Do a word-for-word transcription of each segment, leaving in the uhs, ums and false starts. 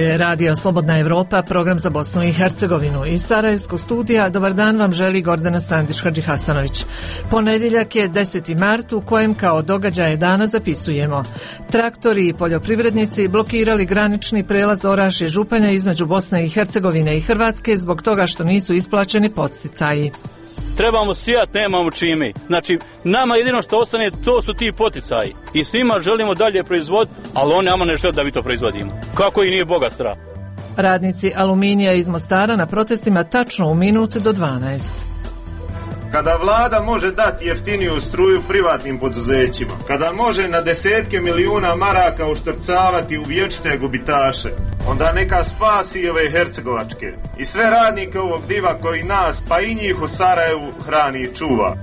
je Radio Slobodna Evropa, program za Bosnu i Hercegovinu. Iz Sarajevskog studija dobar dan vam želi Gordana Sandić-Hadži Hasanović. Ponedjeljak je deseti mart u kojem kao događaje dana zapisujemo: traktori i poljoprivrednici blokirali granični prelaz Orašje Županja između Bosne i Hercegovine i Hrvatske zbog toga što nisu isplaćeni podsticaji. Trebamo sijat, nemamo čime. Znači, nama jedino što ostane, to su ti poticaji. I svima želimo dalje proizvoditi, ali oni nama ne žele da mi to proizvodimo. Kako i nije Boga strah. Radnici Aluminija iz Mostara na protestima tačno u minut do dvanaest. Kada vlada može dati jeftiniju struju privatnim poduzećima, kada može na desetke milijuna maraka uštrcavati u vječite gubitaše, onda neka spasi i ove hercegovačke i sve radnike ovog diva koji nas, pa i njih u Sarajevu hrani i čuva.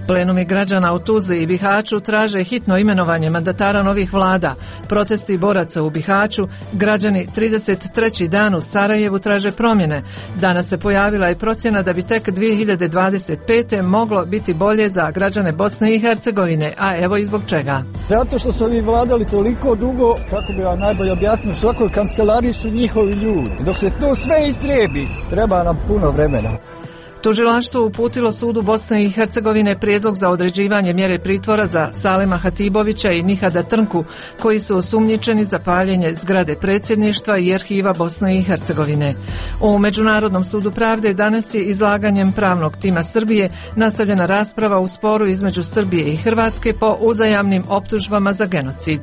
Plenumi građana u Tuzli i Bihaću traže hitno imenovanje mandatara novih vlada. Protesti boraca u Bihaću, građani trideset treći dan u Sarajevu traže promjene. Danas se pojavila i procjena da bi tek dvije hiljade dvadeset pete moglo biti bolje za građane Bosne i Hercegovine, a evo i zbog čega. Zato što su ovi vladali toliko dugo, kako bi vam najbolje objasnio, u svakoj kancelariji su njihovi ljudi. Dok se to sve istrebi, treba nam puno vremena. Tužilaštvo uputilo sudu Bosne i Hercegovine prijedlog za određivanje mjere pritvora za Salema Hatibovića i Nihada Trnku, koji su osumnjičeni za paljenje zgrade predsjedništva i arhiva Bosne i Hercegovine. U Međunarodnom sudu pravde danas je izlaganjem pravnog tima Srbije nastavljena rasprava u sporu između Srbije i Hrvatske po uzajamnim optužbama za genocid.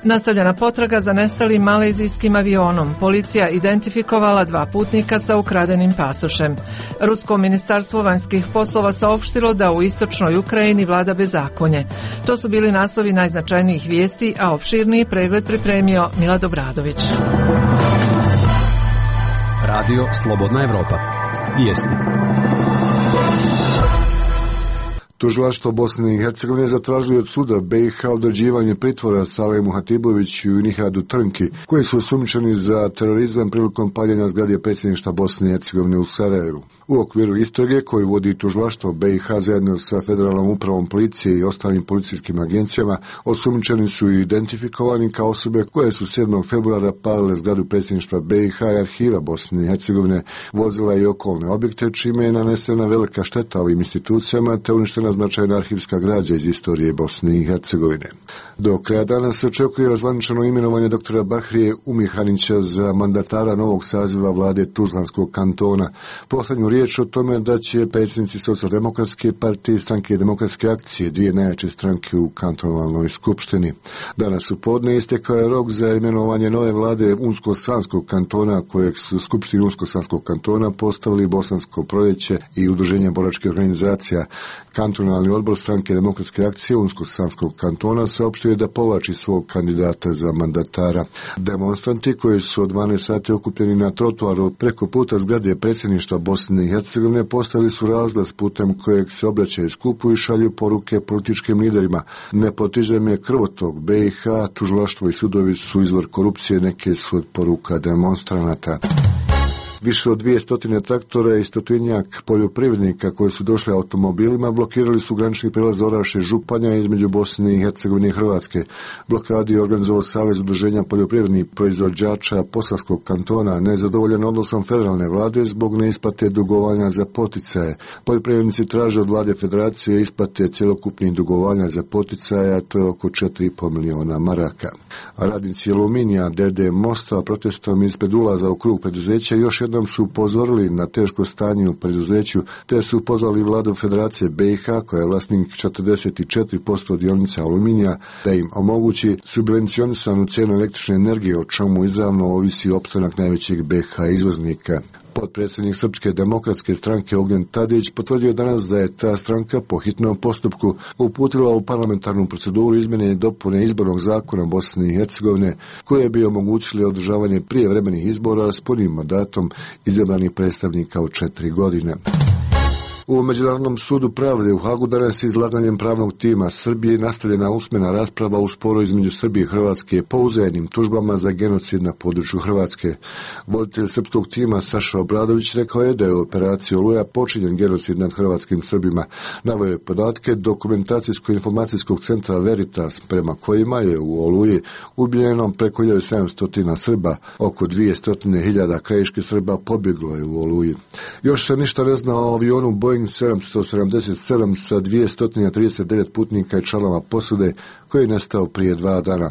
Nastavljena potraga za nestalim malezijskim avionom. Policija identifikovala dva putnika sa ukradenim pasošem. Rusko ministarstvo vanjskih poslova saopštilo da u istočnoj Ukrajini vlada bezakonje. To su bili naslovi najznačajnijih vijesti, a opširniji pregled pripremio Milad Obradović. Radio Slobodna Evropa. Vijesti. Tužilaštvo Bosne i Hercegovine zatražili od suda B i H određivanje pritvora Salemu Hatiboviću i Nihadu Trnki, koji su osumnjičeni za terorizam prilikom paljenja zgrade predsjedništva Bosne i Hercegovine u Sarajevu. U okviru istrage koju vodi tužilaštvo B i H zajedno sa Federalnom upravom policije i ostalim policijskim agencijama, osumnjičeni su identifikovani kao osobe koje su sedmog februara palile zgradu predsjedništva B i H i arhiva Bosne i Hercegovine, vozila i okolne objekte, čime je nanesena velika šteta ovim institucijama te uništena značajna arhivska građa iz istorije Bosne i Hercegovine. Do kraja dana se očekuje ozvaničeno imenovanje doktora Bahrije Umihanića za mandatara novog saziva vlade Tuzlanskog kantona. Poslednju riječ o tome da će predsjednici Socijaldemokratske partije i Stranke demokratske akcije, dvije najjače stranke u kantonalnoj skupštini. Danas u podne istekao je rok za imenovanje nove vlade Unsko-Sanskog kantona, kojeg su Skupštini Unsko-Sanskog kantona postavili Bosansko proljeće i Udruženje boračkih organizacija. Kantonalni odbor Stranke demokratske akcije Unsko-Sanskog kantona saopštio je da povlači svog kandidata za mandatara. Demonstranti koji su od dvanaest sati okupljeni na trotoaru preko puta zgrade predsjedništva Bosne i Hercegovine postavili su razglas putem kojeg se obraćaju skupu i šalju poruke političkim liderima. Nepotizam je krvotok, B i H, tužilaštvo i sudovi su izvor korupcije, neke su od poruka demonstranata. Više od dvije stotine traktora i stotinjak poljoprivrednika koji su došli automobilima blokirali su granični prelaz Orašje Županja između Bosne i Hercegovine i Hrvatske. Blokadi je organizovao Savez udruženja poljoprivrednih proizvođača Posavskog kantona, nezadovoljan odnosom federalne vlade zbog neisplate dugovanja za poticaje. Poljoprivrednici traže od vlade federacije isplate cjelokupnih dugovanja za poticaje, a to je oko četiri i pol miliona maraka. A radnici Aluminija D D Mosta protestom ispred ulaza u krug preduzeća još jednom su upozorili na teško stanje u preduzeću, te su pozvali vladu Federacije B i H, koja je vlasnik četrdeset četiri posto dionica Aluminija, da im omogući subvencionisanu cijenu električne energije, o čemu izravno ovisi opstanak najvećeg B i H izvoznika. Potpredsjednik Srpske demokratske stranke Ognjen Tadić potvrdio danas da je ta stranka po hitnom postupku uputila u parlamentarnu proceduru izmjene i dopune izbornog zakona Bosne i Hercegovine, koje bi omogućili održavanje prijevremenih izbora s punim mandatom izabranih predstavnika od četiri godine. U Međunarodnom sudu pravde u Hagu danas izlaganjem pravnog tima Srbije nastavljena usmena rasprava u sporu između Srbije i Hrvatske po uzajamnim tužbama za genocid na području Hrvatske. Voditelj srpskog tima Saša Obradović rekao je da je u operaciji Oluja počinjen genocid nad hrvatskim Srbima. Naveo je podatke dokumentacijsko-informacijskog centra Veritas, prema kojima je u Oluji ubijeno preko hiljadu sedamsto Srba, oko dvjesto hiljada krajiških Srba pobjeglo je u Oluji. Još se ništa ne zna o avionu Boeing sedamsto sedamdeset sedam sa dvjesto trideset devet putnika i članova posade koji je nestao prije dva dana.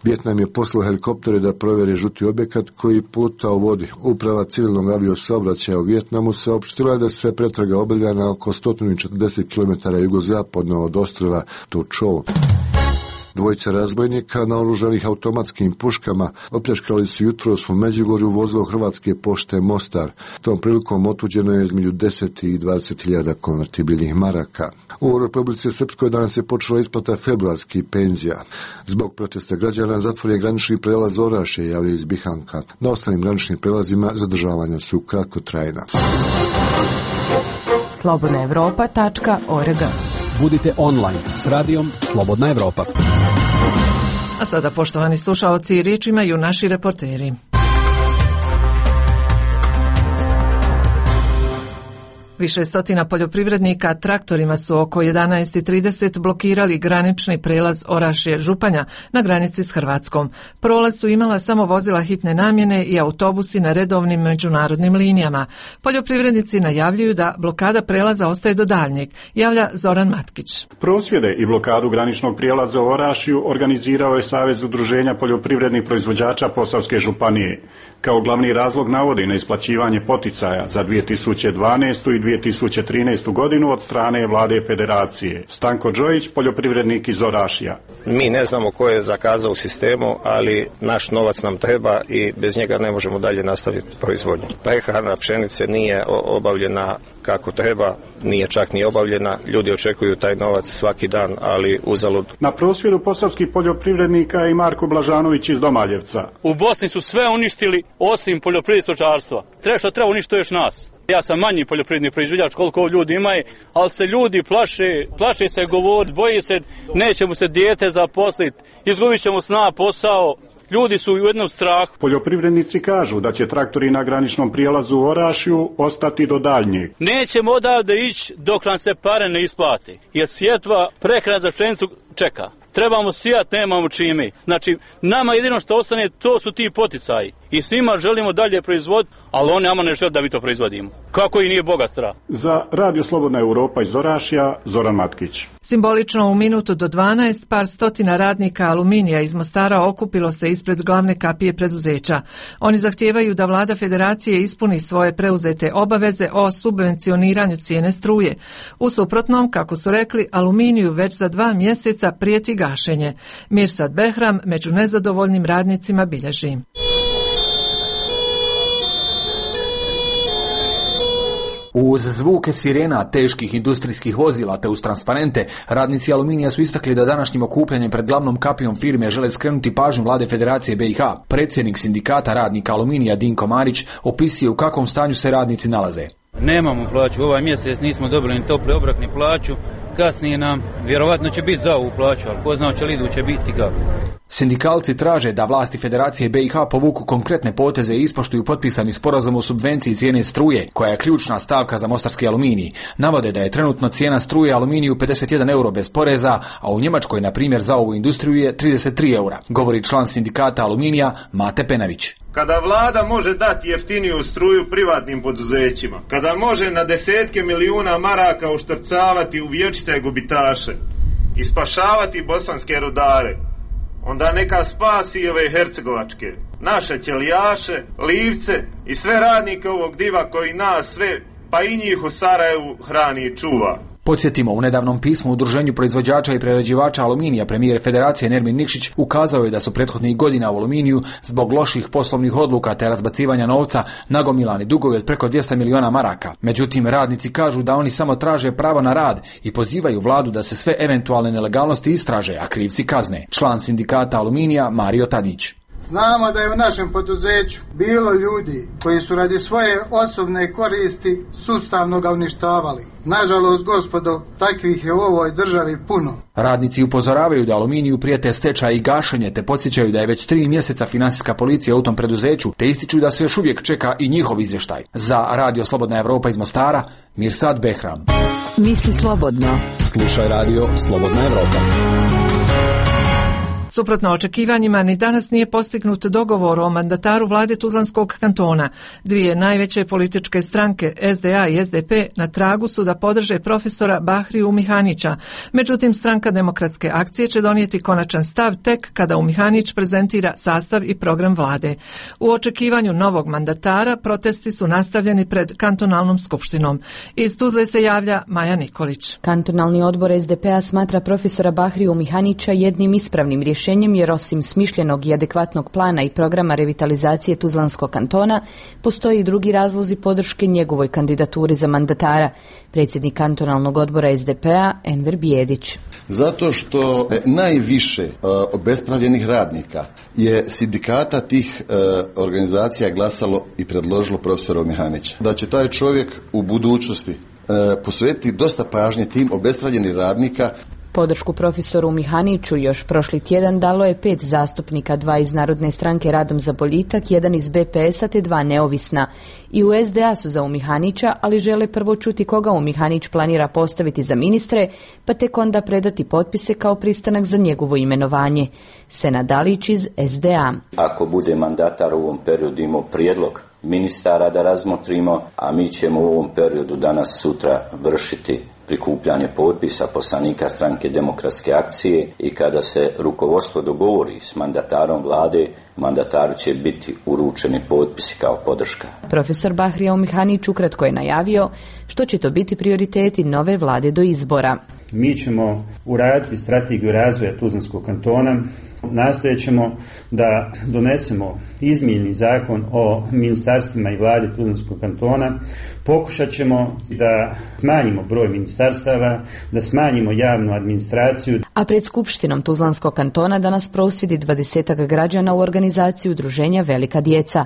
Vijetnam je poslao helikoptere da provjeri žuti objekat koji pluta u vodi. Uprava civilnog aviosaobraćaja u Vijetnamu saopštila je da se pretraga obavlja na oko sto četrdeset kilometara jugozapadno od ostrva Tu Chau. Dvojica razbojnika naoružanih automatskim puškama opljačkali su jutros u Međugorju vozilo Hrvatske pošte Mostar. Tom prilikom otuđeno je između deset i dvadeset hiljada konvertibilnih maraka. U Republici Srpskoj danas je počela isplata februarskih penzija. Zbog protesta građana zatvoren je granični prelaz Orašje, javljaju iz Bihanka. Na ostalim graničnim prelazima zadržavanja su kratkotrajna. slobodna evropa tačka org. Budite online s radijom Slobodna Evropa. A sada, poštovani slušaoci, riječ imaju naši reporteri. Više stotina poljoprivrednika traktorima su oko jedanaest i trideset blokirali granični prelaz Orašje-Županja na granici s Hrvatskom. Prolaz su imala samo vozila hitne namjene i autobusi na redovnim međunarodnim linijama. Poljoprivrednici najavljuju da blokada prelaza ostaje do daljnjeg, javlja Zoran Matkić. Prosvjede i blokadu graničnog prijelaza u Orašju organizirao je Savez udruženja poljoprivrednih proizvođača Posavske županije. Kao glavni razlog navodi na isplaćivanje poticaja za dvije tisuće dvanaestu i dvije tisuće trinaestu godinu od strane vlade federacije. Stanko Đojić, poljoprivrednik iz Orašja. Mi ne znamo ko je zakazao u sistemu, ali naš novac nam treba i bez njega ne možemo dalje nastaviti proizvodnju. Prehrana pšenice nije obavljena kako treba, nije čak ni obavljena. Ljudi očekuju taj novac svaki dan, ali uzalud. Na prosvjedu posavskih poljoprivrednika je i Marko Blažanović iz Domaljevca. U Bosni su sve uništili osim poljoprivrednog stočarstva. Treba što treba uništiti još nas. Ja sam manji poljoprivredni proizvođač koliko ljudi imaju, ali se ljudi plaše, plaše se govoriti, boji se, neće mu se dijete zaposliti, izgubit ćemo sna posao. Ljudi su u jednom strahu. Poljoprivrednici kažu da će traktori na graničnom prijelazu u Orašju ostati do daljnjeg. Nećemo odavde ići dok nam se pare ne isplate, jer sjetva prehrana za pšenicu čeka. Trebamo sijat, nemamo čime. Znači, nama jedino što ostane, to su ti poticaji. I svima želimo dalje proizvoditi, ali oni nama ne žele da mi to proizvodimo. Kako i nije Boga strah. Za Radio Slobodna Europa iz Orašja, Zoran Matkić. Simbolično u minutu do dvanaest par stotina radnika Aluminija iz Mostara okupilo se ispred glavne kapije preduzeća. Oni zahtijevaju da vlada federacije ispuni svoje preuzete obaveze o subvencioniranju cijene struje. U suprotnom, kako su rekli, Aluminiju već za dva mjeseca prijeti gašenje. Mirsad Behram među nezadovoljnim radnicima bilježi. Uz zvuke sirena, teških industrijskih vozila te uz transparente, radnici Aluminija su istakli da današnjim okupljanjem pred glavnom kapijom firme žele skrenuti pažnju vlade Federacije B i H. Predsjednik sindikata radnika Aluminija Dinko Marić opisuje u kakvom stanju se radnici nalaze. Nemamo plaću, ovaj mjesec nismo dobili ni topli obrok ni plaću, kasnije nam vjerovatno će biti za ovu plaću, ali ko zna će li iduće biti kako. Sindikalci traže da vlasti Federacije B i H povuku konkretne poteze i ispoštuju potpisani sporazum o subvenciji cijene struje, koja je ključna stavka za mostarski aluminij. Navode da je trenutno cijena struje aluminiju pedeset jedan euro bez poreza, a u Njemačkoj, na primjer, za ovu industriju je trideset tri eura, govori član sindikata Aluminija Mate Penavić. Kada vlada može dati jeftiniju struju privatnim poduzećima, kada može na desetke milijuna maraka uštrcavati u vječite gubitaše i spašavati bosanske rudare, onda neka spasi ove hercegovačke, naše ćelijaše, livce i sve radnike ovog diva koji nas sve, pa i njih u Sarajevu hrani i čuva. Podsjetimo, u nedavnom pismu Udruženju proizvođača i prerađivača aluminija premijer Federacije Nermin Nikšić ukazao je da su prethodnih godina u aluminiju zbog loših poslovnih odluka te razbacivanja novca nagomilani dugovi od preko dvjesto milijuna maraka. Međutim, radnici kažu da oni samo traže pravo na rad i pozivaju vladu da se sve eventualne nelegalnosti istraže, a krivci kazne. Član sindikata Aluminija Mario Tadić. Znamo da je u našem poduzeću bilo ljudi koji su radi svoje osobne koristi sustavno ga uništavali. Nažalost, gospodo, takvih je u ovoj državi puno. Radnici upozoravaju da Aluminiju prijete stečaj i gašenje, te podsjećaju da je već tri mjeseca financijska policija u tom preduzeću, te ističu da se još uvijek čeka i njihov izvještaj. Za Radio Slobodna Evropa iz Mostara, Mirsad Behram. Misli slobodno. Slušaj Radio Slobodna Evropa. Suprotno očekivanjima, ni danas nije postignut dogovor o mandataru vlade Tuzlanskog kantona. Dvije najveće političke stranke, S D A i S D P, na tragu su da podrže profesora Bahriju Mihanića. Međutim, stranka Demokratske akcije će donijeti konačan stav tek kada Mihanić prezentira sastav i program vlade. U očekivanju novog mandatara protesti su nastavljeni pred kantonalnom skupštinom. Iz Tuzle se javlja Maja Nikolić. Kantonalni odbor S D P-a smatra profesora Bahriju Mihanića jednim ispravnim rješenjem, jer osim smišljenog i adekvatnog plana i programa revitalizacije Tuzlanskog kantona, postoji i drugi razlozi podrške njegovoj kandidaturi za mandatara. Predsjednik kantonalnog odbora S D P-a Enver Bijedić. Zato što najviše uh, obespravljenih radnika je sindikata tih uh, organizacija glasalo i predložilo profesora Mihanića. Da će taj čovjek u budućnosti uh, posvetiti dosta pažnje tim obespravljenih radnika. Podršku profesoru Mihaniću još prošli tjedan dalo je pet zastupnika, dva iz Narodne stranke Radom za boljitak, jedan iz B P S-a te dva neovisna. I u S D A su za Mihanića, ali žele prvo čuti koga Mihanić planira postaviti za ministre, pa tek onda predati potpise kao pristanak za njegovo imenovanje. Senad Dalić iz S D A. Ako bude mandatar u ovom periodu imao prijedlog ministara da razmotrimo, a mi ćemo u ovom periodu danas sutra vršiti prikupljanje potpisa poslanika stranke Demokratske akcije i kada se rukovodstvo dogovori s mandatarom vlade, mandataru će biti uručeni potpisi kao podrška. Profesor Bahrija Mihanić ukratko je najavio što će to biti prioriteti nove vlade do izbora. Mi ćemo uraditi strategiju razvoja Tuzlanskog kantona. Nastojat ćemo da donesemo izmijenjeni zakon o ministarstvima i vladi Tuzlanskog kantona. Pokušat ćemo da smanjimo broj ministarstava, da smanjimo javnu administraciju. A pred skupštinom Tuzlanskog kantona danas prosvjedi dvadesetak građana u organizaciji udruženja Velika djeca.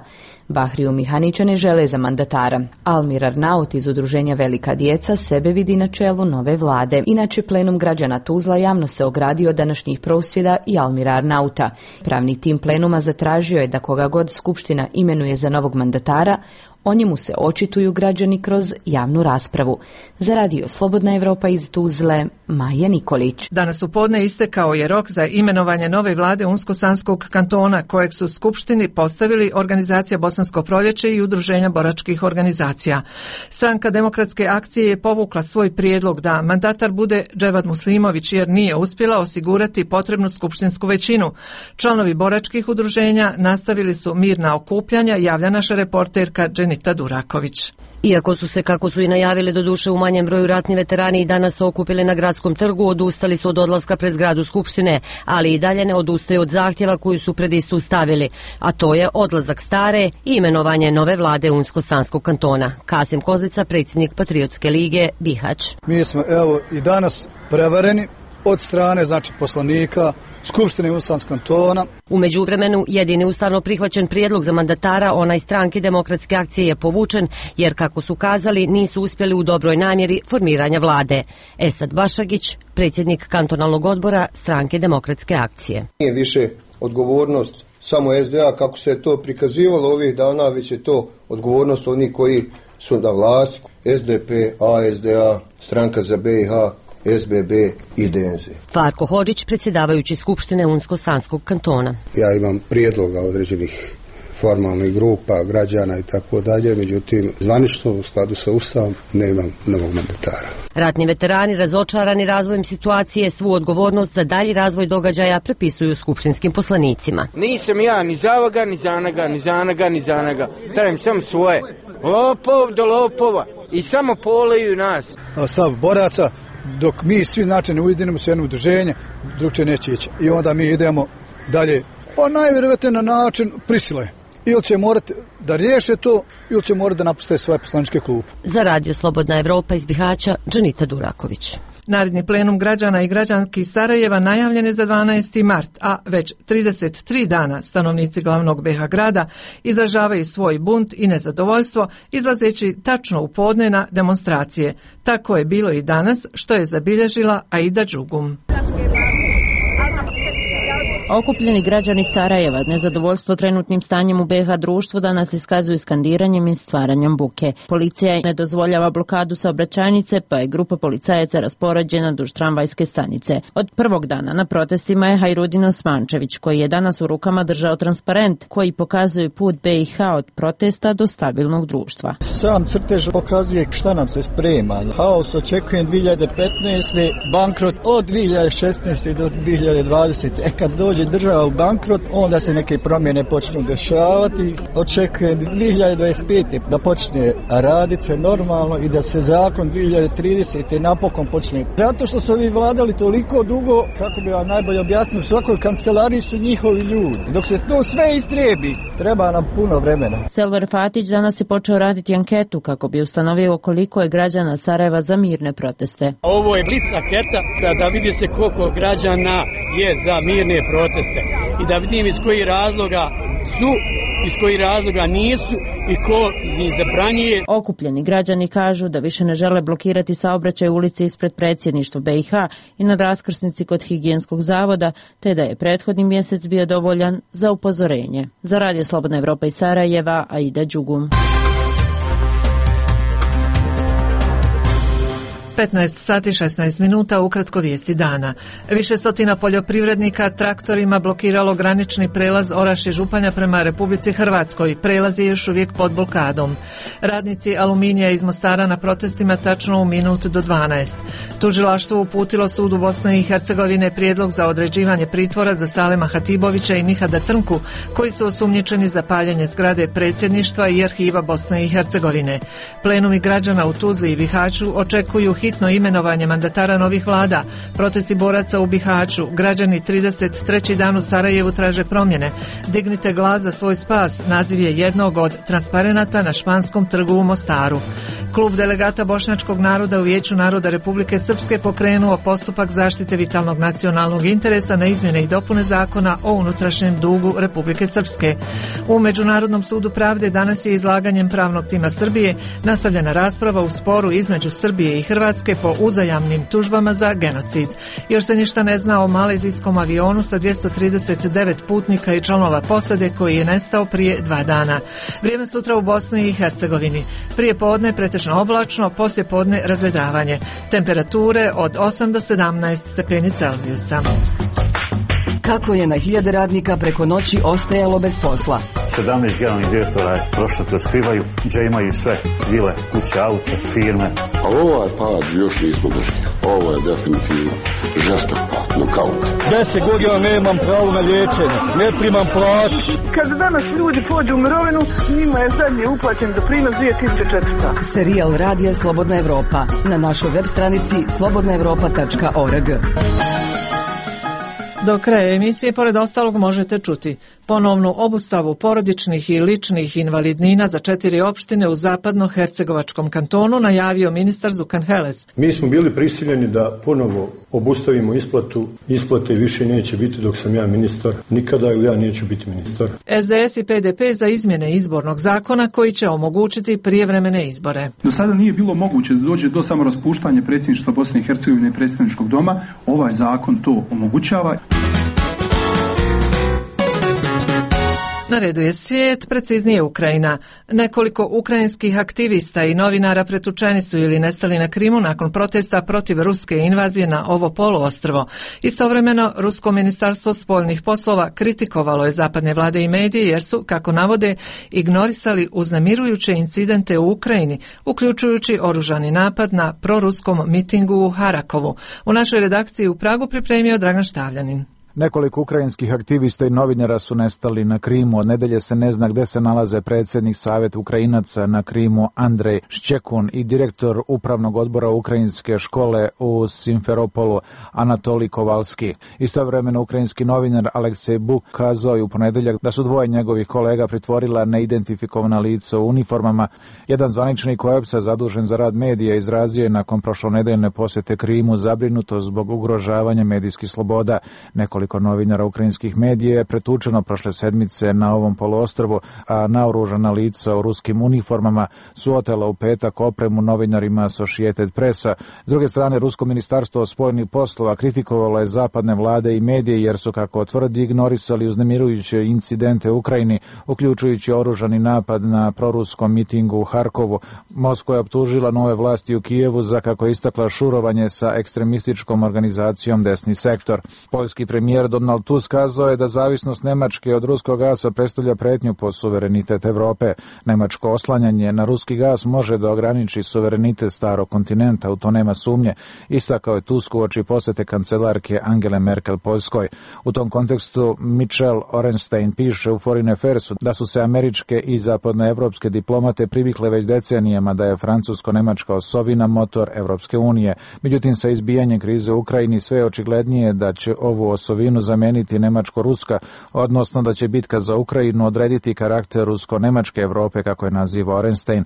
Bahriju Mihanića ne žele za mandatara. Almir Arnaut iz udruženja Velika djeca sebe vidi na čelu nove vlade. Inače, plenum građana Tuzla javno se ogradio od današnjih prosvjeda i Almira Arnauta. Pravni tim plenuma zatražio je da koga god skupština imenuje za novog mandatara, o njemu se očituju građani kroz javnu raspravu. Za Radio Slobodna Evropa iz Tuzle, Maja Nikolić. Danas u podne istekao je rok za imenovanje nove vlade Unsko-Sanskog kantona, kojeg su skupštini postavili organizacija Bosansko proljeće i udruženja boračkih organizacija. Stranka Demokratske akcije je povukla svoj prijedlog da mandatar bude Dževad Muslimović, jer nije uspjela osigurati potrebnu skupštinsku većinu. Članovi boračkih udruženja nastavili su mirna okupljanja, javlja naša reporterka Dženita Duraković. Iako su se, kako su i najavili, doduše u manjem broju ratni veterani i danas se okupili na gradskom trgu, odustali su od odlaska pred zgradu Skupštine, ali i dalje ne odustaju od zahtjeva koju su pred istu stavili, a to je odlazak stare i imenovanje nove vlade Unsko-Sanskog kantona. Kasim Kozlica, predsjednik Patriotske lige, Bihać. Mi smo evo i danas prevareni od strane, znači, poslanika Skupštine Unsko-Sanskog kantona. U međuvremenu, jedini ustavno prihvaćen prijedlog za mandatara, onaj stranke Demokratske akcije, je povučen, jer, kako su kazali, nisu uspjeli u dobroj namjeri formiranja vlade. Esad Bašagić, predsjednik kantonalnog odbora stranke Demokratske akcije. Nije više odgovornost samo S D A, kako se je to prikazivalo ovih dana, već je to odgovornost onih koji su na vlasti. S D P, A S D A, stranka za B i H, S B B i D N Z. Farko Hodžić, predsjedavajući Skupštine Unsko-Sanskog kantona. Ja imam prijedloga određenih formalnih grupa, građana i tako dalje, međutim, zvanično u skladu sa Ustavom nemam novog mandatara. Ratni veterani, razočarani razvojem situacije, svu odgovornost za dalji razvoj događaja prepisuju skupštinskim poslanicima. Nisam ja ni za ovoga, ni za onoga, ni za onoga, ni za onoga. Trajem sam svoje. Lopov do lopova. I samo poleju nas. Stav boraca, dok mi svi znači ne ujedinimo se jedno udruženje, drugče neće ići. I onda mi idemo dalje, pa najvjerovatnije na način prisile. ili će morati da riješe to, ili će morati da napuste svoje poslaničke klupe. Za Radio Slobodna Evropa iz Bihaća, Džanita Duraković. Naredni plenum građana i građanki Sarajeva najavljen je za dvanaesti mart, a već trideset tri dana stanovnici glavnog be ha grada izražavaju svoj bunt i nezadovoljstvo, izlazeći tačno u podne na demonstracije. Tako je bilo i danas, što je zabilježila Aida Đugum. Okupljeni građani Sarajeva nezadovoljstvo trenutnim stanjem u be ha društvu danas iskazuju skandiranjem i stvaranjem buke. Policija ne dozvoljava blokadu saobraćajnice, pa je grupa policajaca raspoređena duž tramvajske stanice. Od prvog dana na protestima je Hajrudin Osmančević, koji je danas u rukama držao transparent koji pokazuje put be ha od protesta do stabilnog društva. Sam crtež pokazuje šta nam se sprema. Haos očekujem dvije hiljade petnaeste. bankrot od dvije hiljade šesnaeste do dvije hiljade dvadesete. E kad dođe država u bankrot, onda se neke promjene počnu dešavati. Očekujem dvije hiljade dvadeset pete. da počne raditi se normalno i da se zakon dvije hiljade tridesete. napokon počne. Zato što su ovi vladali toliko dugo, kako bi vam najbolje objasnio, u svakoj kancelariji su njihovi ljudi. Dok se to sve istrebi, treba nam puno vremena. Selvar Fatić danas je počeo raditi anketu kako bi ustanovio koliko je građana Sarajeva za mirne proteste. Ovo je blic anketa da, da vidi se koliko građana je za mirne proteste i da vidim iz kojih razloga su, iz kojih razloga nisu i ko ih zabranjuje. Okupljeni građani kažu da više ne žele blokirati saobraćaj u ulici ispred predsjedništva be ha i na raskrsnici kod higijenskog zavoda, te da je prethodni mjesec bio dovoljan za upozorenje. Za Radio Slobodna Evropa iz Sarajeva, Aida Đugum. petnaest sati šesnaest minuta, ukratko vijesti dana. Više stotina poljoprivrednika traktorima blokiralo granični prelaz Orašje Županja prema Republici Hrvatskoj. Prelaz je još uvijek pod blokadom. Radnici Aluminija iz Mostara na protestima tačno u minut do dvanaest. Tužilaštvo uputilo sudu Bosne i Hercegovine prijedlog za određivanje pritvora za Salema Hatibovića i Nihada Trnku, koji su osumnjičeni za paljenje zgrade predsjedništva i arhiva Bosne i Hercegovine. Plenumi građana u Tuzli i Bihaću očekuju hitno imenovanje mandatara novih vlada. Protesti boraca u Bihaću. Građani trideset treći dan u Sarajevu traže promjene. Dignite glas za svoj spas. Naziv je jednog od transparenata na Španskom trgu u Mostaru. Klub delegata bošnjačkog naroda u Vijeću naroda Republike Srpske pokrenuo postupak zaštite vitalnog nacionalnog interesa na izmjene i dopune zakona o unutrašnjem dugu Republike Srpske. U Međunarodnom sudu pravde danas je izlaganjem pravnog tima Srbije nastavljena rasprava u sporu između Srbije i Hrvatske po uzajamnim tužbama za genocid. Još se ništa ne zna o malezijskom avionu sa dvjesto trideset devet putnika i članova posade koji je nestao prije dva dana. Vrijeme sutra u Bosni i Hercegovini. Prije podne pretežno oblačno, poslije podne razvedravanje. Temperature od osam do sedamnaest stepeni Celzijusa. Kako je na hiljade radnika preko noći ostajalo bez posla? sedamnaest generalnih direktora je prošlo kroz Krivaju, gdje imaju sve vile, kuće, aute, firme. A ovaj pad još nismo držali. Ovo je definitivno žestok pad, nokaut. Deset godina nemam pravo na liječenje, ne primam platu. Kad danas ljudi pođu u mirovinu, njima je zadnji uplaćen doprinos dvije tisuće četiristo. Serijal Radija Slobodna Evropa na našoj web stranici slobodna evropa tačka org. Do kraja emisije, pored ostalog, možete čuti ponovnu obustavu porodičnih i ličnih invalidnina za četiri opštine u zapadno-hercegovačkom kantonu najavio ministar Zukan Heles. Mi smo bili prisiljeni da ponovo obustavimo isplatu. Isplate više neće biti dok sam ja ministar. Nikada ili ja neću biti ministar. es de es i pe de pe za izmjene izbornog zakona koji će omogućiti prijevremene izbore. Do sada nije bilo moguće da dođe do samoraspuštanja predsjedništva Bosne i Hercegovine i predsjedničkog doma. Ovaj zakon to omogućava. Na redu je svijet, preciznije Ukrajina. Nekoliko ukrajinskih aktivista i novinara pretučeni su ili nestali na Krimu nakon protesta protiv ruske invazije na ovo poluostrvo. Istovremeno, Rusko ministarstvo spoljnih poslova kritikovalo je zapadne vlade i medije jer su, kako navode, ignorisali uznemirujuće incidente u Ukrajini, uključujući oružani napad na proruskom mitingu u Harakovu. U našoj redakciji u Pragu pripremio Dragan Štavljanin. Nekoliko ukrajinskih aktivista i novinara su nestali na Krimu. Od nedelje se ne zna gde se nalaze predsjednik Saveta Ukrajinaca na Krimu Andrej Ščekun i direktor upravnog odbora ukrajinske škole u Simferopolu Anatolij Kovalski. Istovremeno ukrajinski novinar Aleksej Buk kazao je u ponedeljak da su dvoje njegovih kolega pritvorila neidentifikovana lica u uniformama. Jedan zvaničnik O E B S-a zadužen za rad medija izrazio je nakon prošlonedeljne posjete Krimu zabrinutost zbog ugrožavanja medijskih sloboda. Nekoliko novinara ukrajinskih medija je pretučeno prošle sedmice na ovom poluostrvu, a naoružana lica u ruskim uniformama su otela u petak opremu novinarima Associated Pressa. S druge strane, Rusko ministarstvo spoljnih poslova kritikovalo je zapadne vlade i medije jer su, kako tvrdi, ignorisali uznemirujuće incidente u Ukrajini, uključujući oružani napad na proruskom mitingu u Harkovu. Moskva je optužila nove vlasti u Kijevu za, kako je istakla, šurovanje sa ekstremističkom organizacijom Desni sektor. Poljski premijer Donald Tusk kazao je da zavisnost Nemačke od ruskog gasa predstavlja pretnju po suverenitet Evrope. Nemačko oslanjanje na ruski gas može da ograniči suverenitet starog kontinenta, u to nema sumnje, istakao je Tusk uoči posete kancelarke Angele Merkel Poljskoj. U tom kontekstu Michel Orenstein piše u Foreign Affairsu da su se američke i zapadnoevropske diplomate privikle već decenijama da je francusko-nemačka osovina motor Evropske unije. Međutim, sa izbijanjem krize u Ukrajini sve je očiglednije da će ovu osovinu zameniti nemačko-ruska, odnosno da će bitka za Ukrajinu odrediti karakter rusko-nemačke Evrope, kako je naziva Orenstein.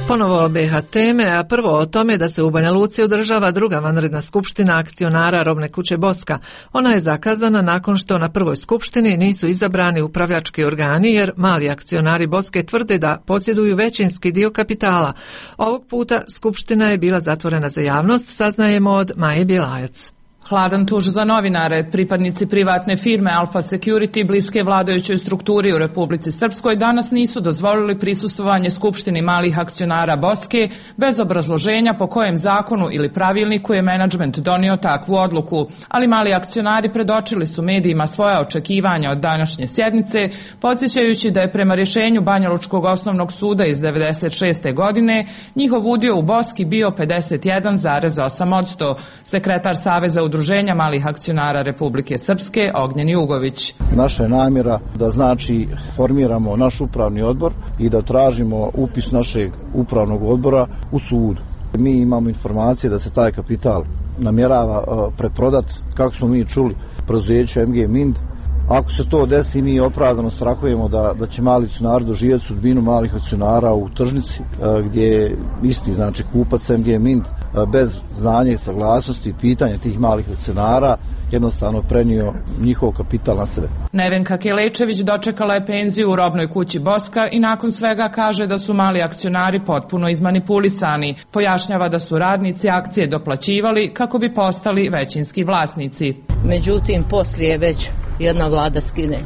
Ponovo B H teme, a prvo o tome da se u Banja Luci održava druga vanredna skupština akcionara robne kuće Boska. Ona je zakazana nakon što na prvoj skupštini nisu izabrani upravljački organi, jer mali akcionari Boske tvrde da posjeduju većinski dio kapitala. Ovog puta skupština je bila zatvorena za javnost, saznajemo od Maje Bjelajac. Hladan tuž za novinare. Pripadnici privatne firme Alfa Security, bliske vladajućoj strukturi u Republici Srpskoj, danas nisu dozvolili prisustvovanje skupštini malih akcionara Boske bez obrazloženja po kojem zakonu ili pravilniku je menadžment donio takvu odluku. Ali mali akcionari predočili su medijima svoja očekivanja od današnje sjednice, podsjećajući da je prema rješenju Banjalučkog osnovnog suda iz devedeset šeste. godine njihov udio u Boski bio pedeset jedan zarez osam posto. Sekretar Saveza Udruženja malih akcionara Republike Srpske Ognjen Jugović. Naša je namjera da znači formiramo naš upravni odbor i da tražimo upis našeg upravnog odbora u sud. Mi imamo informacije da se taj kapital namjerava preprodat, kako smo mi čuli, preduzeću M G Mind. Ako se to desi, mi opravdano strahujemo da, da će mali akcionari doživjeti sudbinu malih akcionara u tržnici, gdje je isti, znači kupac M G Mind bez znanja i saglasnosti i pitanja tih malih akcionara jednostavno prenio njihov kapital na sebe. Nevenka Kelečević dočekala je penziju u robnoj kući Boska i nakon svega kaže da su mali akcionari potpuno izmanipulisani. Pojašnjava da su radnici akcije doplaćivali kako bi postali većinski vlasnici. Međutim, poslije već jedna vlada skine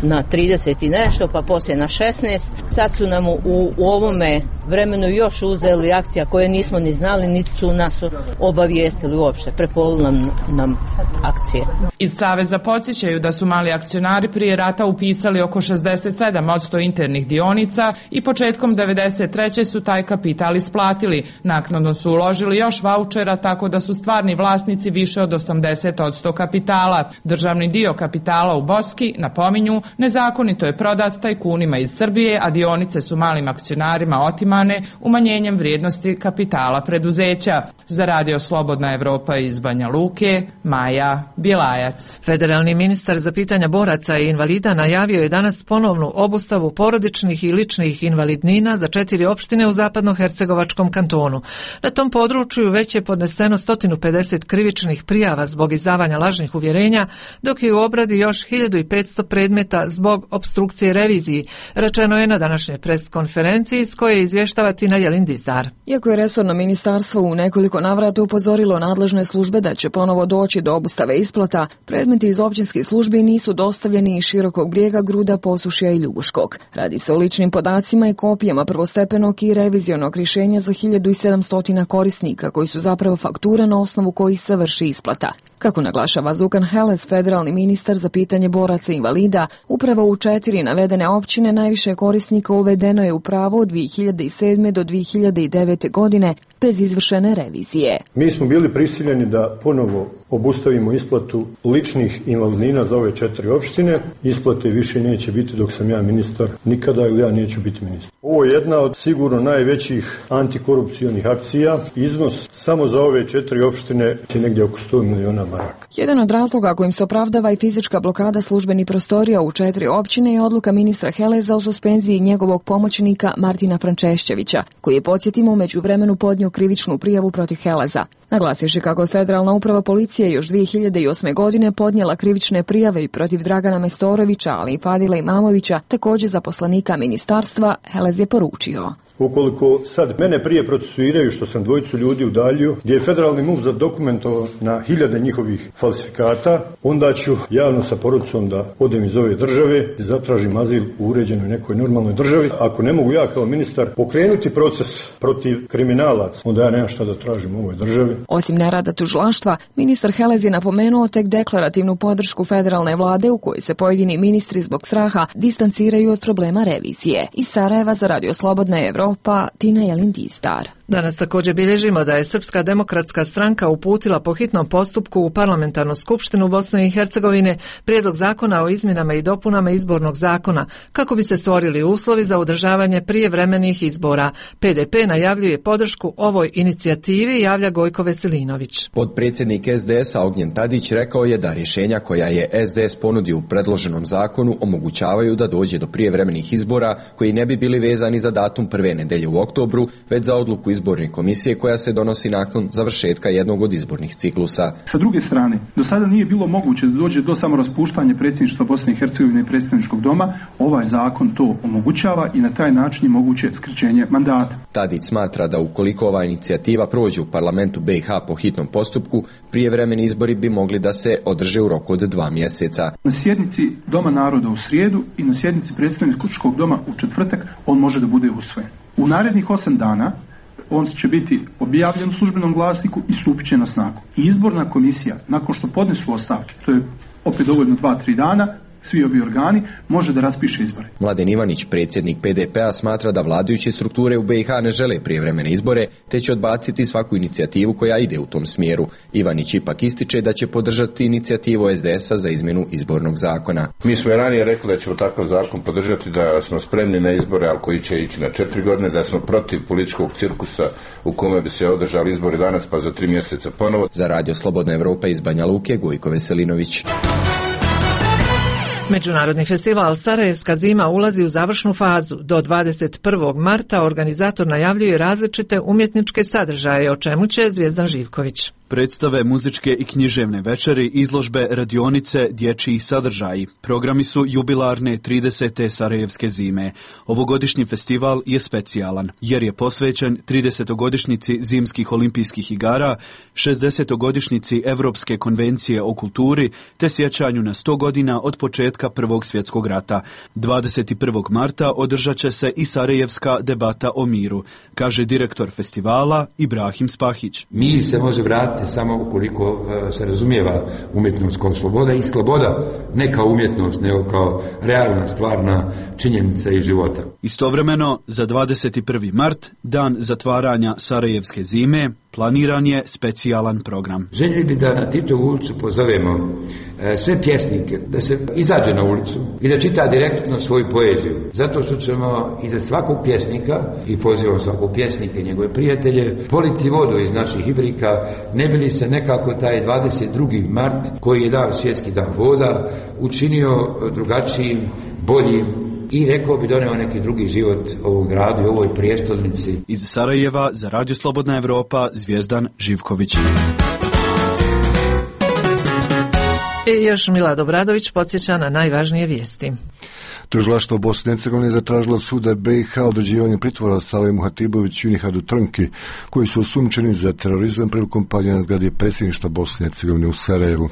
na trideset i nešto, pa poslije na šesnaest. Sad su nam u, u ovome vremenu još uzeli akcija koje nismo ni znali, niti su nas obavijestili uopšte. Prepolu nam, nam akcije. Iz Saveza podsjećaju da su mali akcionari prije rata upisali oko šezdeset sedam posto internih dionica i početkom devedeset treće su taj kapital isplatili. Naknadno su uložili još vaučera, tako da su stvarni vlasnici više od osamdeset posto kapitala. Državni dio kapitala u Boski, napominju, nezakonito je prodat tajkunima iz Srbije, a dionice su malim akcionarima otimane umanjenjem vrijednosti kapitala preduzeća. Za Radio Slobodna Evropa iz Banja Luke, Maja Bjelajac. Federalni ministar za pitanja boraca i invalida najavio je danas ponovnu obustavu porodičnih i ličnih invalidnina za četiri opštine u zapadnohercegovačkom kantonu. Na tom području već je podneseno sto pedeset krivičnih prijava zbog izdavanja lažnih uvjerenja, dok je u obradi još hiljadu petsto predmeta zbog opstrukcije reviziji, rečeno je na današnjoj pres konferenciji s koje izvještava Tina Jelindizdar. Iako je resorno ministarstvo u nekoliko navrata upozorilo nadležne službe da će ponovo doći do obustave isplata, predmeti iz općinskih službi nisu dostavljeni iz Širokog Brijega, Gruda, Posušja i Ljubuškog. Radi se o ličnim podacima i kopijama prvostepenog i revizionog rješenja za hiljadu sedamsto korisnika koji su zapravo fakture na osnovu kojih se vrši isplata. Kako naglašava Zukan Heles, federalni ministar za pitanje boraca i invalida, upravo u četiri navedene općine najviše korisnika uvedeno je u pravo od dvije hiljade sedme do dvije hiljade devete. godine bez izvršene revizije. Mi smo bili prisiljeni da ponovo obustavimo isplatu ličnih invalidnina za ove četiri opštine. Isplate više neće biti dok sam ja ministar nikada ili ja neću biti ministar. Ovo je jedna od sigurno najvećih antikorupcionih akcija. Iznos samo za ove četiri opštine je negdje oko sto miliona maraka. Jedan od razloga kojim se opravdava i fizička blokada službenih prostorija u četiri općine je odluka ministra Heleza o suspenziji njegovog pomoćnika Martina Frančešćevića, koji je, podsjetimo, u međuvremenu podnio krivičnu prijavu protiv Heleza. Naglasivši kako je Federalna uprava policije još dvije hiljade osme. godine podnijela krivične prijave i protiv Dragana Mestorovića, ali i Fadila Imamovića, također zaposlenika ministarstva, Helez je poručio: Ukoliko sad mene prije procesuiraju što sam dvojicu ljudi udaljio, gdje je federalni MUP zadokumentovao na hiljade njihovih falsifikata, onda ću javno sa porucom da odem iz ove države i zatražim azil u uređenoj nekoj normalnoj državi. Ako ne mogu ja kao ministar pokrenuti proces protiv kriminalaca, onda ja nemam šta da tražim u ovoj državi. Osim nerada tužilaštva, ministar Helez je napomenuo tek deklarativnu podršku federalne vlade u kojoj se pojedini ministri zbog straha distanciraju od problema revizije. Iz Sarajeva za Radio Slobodna Evropa, Tina Jelin-Distar. Danas također bilježimo da je Srpska demokratska stranka uputila po hitnom postupku u Parlamentarnu skupštinu Bosne i Hercegovine prijedlog zakona o izmjenama i dopunama izbornog zakona kako bi se stvorili uslovi za održavanje prijevremenih izbora. P D P najavljuje podršku ovoj inicijativi, javlja Gojko Veselinović. Potpredsjednik S D S-a Ognjen Tadić rekao je da rješenja koja je S D S ponudio u predloženom zakonu omogućavaju da dođe do prijevremenih izbora koji ne bi bili vezani za datum prve nedelje u oktobru, već za odluku izborne komisije koja se donosi nakon završetka jednog od izbornih ciklusa. Sa druge strane, do sada nije bilo moguće da dođe do samoraspuštanja predsjedništva Bosne i Hercegovine i predstavničkog doma. Ovaj zakon to omogućava i na taj način je moguće skraćenje mandata. Tadić smatra da ukoliko ova inicijativa prođe u parlamentu B i H po hitnom postupku, prijevremeni izbori bi mogli da se održe u roku od dva mjeseca. Na sjednici Doma naroda u srijedu i na sjednici predstavničkog doma u četvrtak on može da bude usvojen. U narednih osam dana on će biti objavljen u službenom glasniku i stupit će na snagu. I izborna komisija, nakon što podnesu ostavke, to je opet dovoljno dva, tri dana, svi ovi organi, može da raspiše izbore. Mladen Ivanić, predsjednik P D P-a, smatra da vladajuće strukture u B i H ne žele prijevremene izbore, te će odbaciti svaku inicijativu koja ide u tom smjeru. Ivanić ipak ističe da će podržati inicijativu S D S-a za izmjenu izbornog zakona. Mi smo i ranije rekli da ćemo takav zakon podržati, da smo spremni na izbore, ali koji će ići na četiri godine, da smo protiv političkog cirkusa u kome bi se održali izbori danas pa za tri mjeseca ponovo. Za Radio Slobodna Evropa iz Banja Luke, Gojko Veselinović. Međunarodni festival Sarajevska zima ulazi u završnu fazu. Do dvadeset prvog marta organizator najavljuje različite umjetničke sadržaje, o čemu će Zvijezdan Živković. Predstave, muzičke i književne večeri, izložbe, radionice, dječji sadržaji. Programi su jubilarne tridesete Sarajevske zime. Ovogodišnji festival je specijalan, jer je posvećen tridesetogodišnjici zimskih olimpijskih igara, šezdesetogodišnjici Evropske konvencije o kulturi, te sjećanju na sto godina od početka Prvog svjetskog rata. dvadeset prvog marta održat će se i Sarajevska debata o miru, kaže direktor festivala Ibrahim Spahić. Mir se može vratiti samo ukoliko uh, se razumijeva umjetnost kao sloboda i sloboda ne kao umjetnost, nego kao realna, stvarna činjenica iz života. Istovremeno, za dvadeset prvi mart, dan zatvaranja Sarajevske zime, planiran je specijalan program. Željeli bi da na Titovu ulicu pozovemo e, sve pjesnike da se izađe na ulicu i da čita direktno svoju poeziju. Zato što ćemo iza svakog pjesnika, i pozivam svakog pjesnika i njegove prijatelje, politi vodu iz naših ibrika, ne bi li se nekako taj dvadeset drugi mart, koji je dan svjetski dan voda, učinio drugačijim, boljim, i rekao bi doneo neki drugi život ovog gradu i ovoj prijestolnici. Iz Sarajeva za Radio Slobodna Evropa, Zvijezdan Živković. I još Milad Obradović podsjeća na najvažnije vijesti. Tužilaštvo Bosne i Hercegovine zatražilo od suda B i H određivanje pritvora Salemu Hatiboviću i Nihadu Trnki, koji su osumnjičeni za terorizam prilikom paljenja zgrade predsjedništva Bosne i Hercegovine u Sarajevu.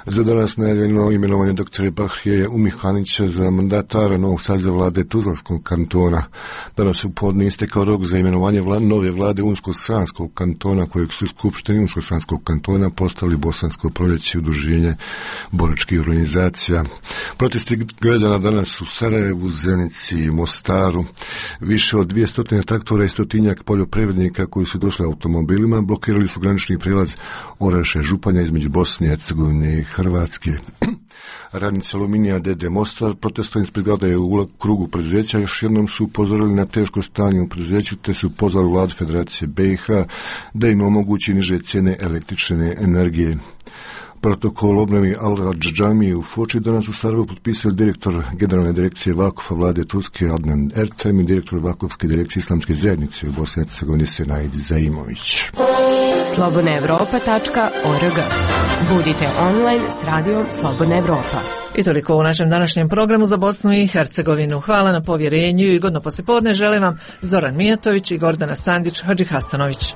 Za danas najavljeno imenovanje doktora Bahije Umihanića za mandatara novog saziva vlade Tuzlanskog kantona. Danas u podne istekao rok za imenovanje vlade, nove vlade Unsko-Sanskog kantona, kojeg su skupštini Unsko-Sanskog kantona postavili Bosansko proljeće i udruženje boračkih organizacija. Protesti građana danas u Sarajevu, Zenici i Mostaru. Više od dvjesto traktora i stotinjak poljoprivrednika koji su došli automobilima blokirali su granični prijelaz Oraše Županja između Bosne i Hercegovine i Hrvatske. Radnici Aluminija D D Mostar protestom ispred zgrade u krugu preduzeća još jednom su upozorili na teško stanje u preduzeću te su pozvali vladu Federacije B i H da im omogući niže cijene električne energije. Protokol obnovi Al-Džami u Foči danas u Sarajevu potpisali direktor Generalne direkcije Vakufa vlade Turske Adnan Ertem i direktor Vakovske direkcije Islamske zajednice u Bosni i Hercegovini Senaid Zaimović. slobodna evropa tačka org. Budite online s radijom Slobodna Evropa. I toliko u našem današnjem programu za Bosnu i Hercegovinu. Hvala na povjerenju i godno poslijepodne želim vam Zoran Mijatović i Gordana Sandić Hadžihasanović.